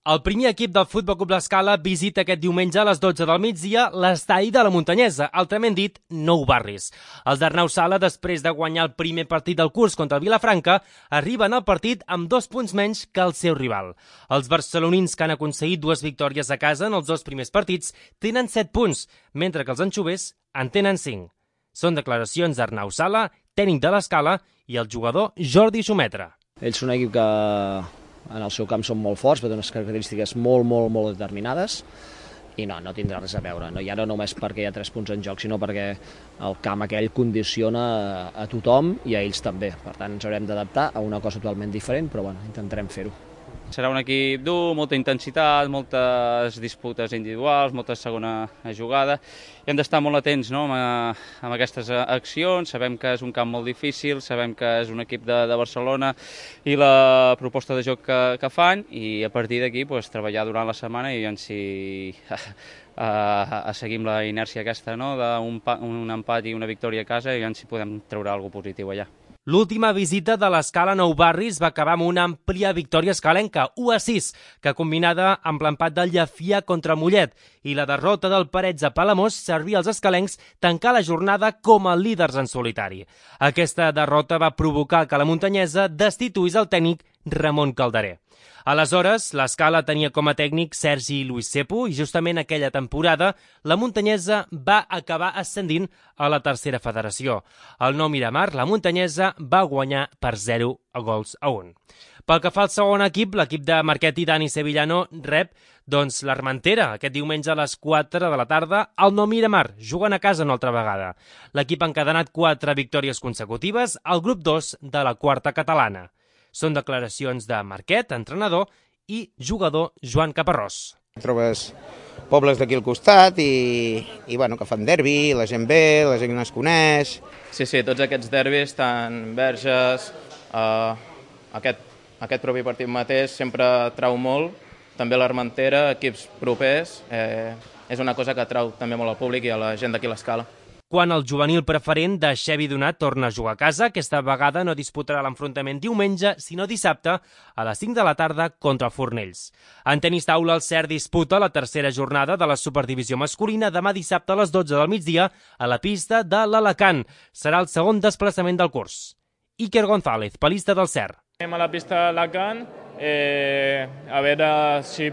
El primer equip del Futbol Club L'Escala visita aquest diumenge a les 12 del migdia l'estadi de la Muntanyesa, altrament dit Nou Barris. Els d'Arnau Sala, després de guanyar el primer partit del curs contra el Vilafranca, arriben al partit amb 2 punts menys que el seu rival. Els barcelonins, que han aconseguit 2 victòries a casa en els 2 primers partits, tenen 7 punts, mentre que els anxovers en tenen 5. Són declaracions d'Arnau Sala, tècnic de l'Escala, i el jugador Jordi Xumetra. Ells són un equip que en el seu camp són molt forts, però tenen unes característiques molt determinades i no tindrà res a veure. Ja no només perquè hi ha 3 punts en joc, sinó perquè el camp aquell condiciona a tothom i a ells també. Per tant, ens haurem d'adaptar a una cosa totalment diferent, però bueno, intentarem fer-ho. Serà un equip dur, molta intensitat, moltes disputes individuals, molta segona jugada. I hem d'estar molt atents, no?, amb aquestes accions. Sabem que és un camp molt difícil, sabem que és un equip de Barcelona i la proposta de joc que fan, i a partir d'aquí treballar durant la setmana i si seguim la inèrcia aquesta, no?, d'un empat i una victòria a casa, i si podem treure alguna cosa positiu allà. L'última visita de l'Escala a Nou Barris va acabar amb una àmplia victòria escalenca, 1-6, que combinada amb l'empat del Llefià contra Mollet i la derrota del Parets a Palamós servia als escalencs tancar la jornada com a líders en solitari. Aquesta derrota va provocar que la Muntanyesa destituís el tècnic Ramon Calderer. Aleshores, l'Escala tenia com a tècnic Sergi Luis Cepo i justament aquella temporada la Muntanyesa va acabar ascendint a la tercera federació. Al Nou Miramar, la Muntanyesa va guanyar per 0-1. Pel que fa al segon equip, l'equip de Marquet i Dani Sevillano rep l'Armentera aquest diumenge a les 4 de la tarda al Nou Miramar, jugant a casa una altra vegada. L'equip ha encadenat 4 victòries consecutives al grup 2 de la quarta catalana. Són declaracions de Marquet, entrenador, i jugador Joan Caparrós. Trobes pobles d'aquí al costat i bueno, que fan derbi, la gent ve, la gent no es coneix. Sí, tots aquests derbis, tant Verges, aquest propi partit mateix sempre trau molt, també l'Armentera, equips propers, és una cosa que atrau també molt al públic i a la gent d'aquí a l'Escala. Quan el juvenil preferent de Xevi Donat torna a jugar a casa, aquesta vegada no disputarà l'enfrontament diumenge, sinó dissabte a les 5 de la tarda contra el Fornells. En tenis taula, el CERT disputa la tercera jornada de la Superdivisió masculina demà dissabte a les 12 del migdia a la pista de l'Alacant. Serà el segon desplaçament del curs. Iker González, palista del CERT. Anem a la pista de l'Alacant, a veure si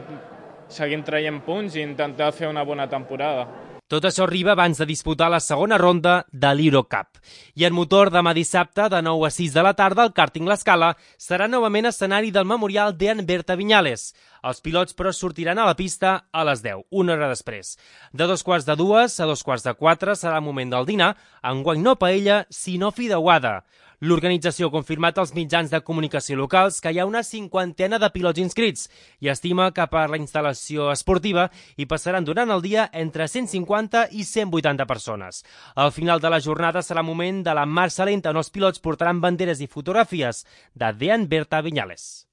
seguim traient punts i intentar fer una bona temporada. Tot això arriba abans de disputar la segona ronda de l'Eurocup. I en motor, demà dissabte, de 9-6 de la tarda, el kàrting L'Escala serà novament escenari del memorial d'Ean Berta Viñales. Els pilots, però, sortiran a la pista a les 10, una hora després. De 2:45 a 3:45 serà el moment del dinar, enguany no paella, sinó fideuada. L'organització ha confirmat als mitjans de comunicació locals que hi ha una 50ena de pilots inscrits i estima que per la instal·lació esportiva hi passaran durant el dia entre 150 i 180 persones. Al final de la jornada serà el moment de la marxa lenta on els pilots portaran banderes i fotografies de Dean Berta Viñales.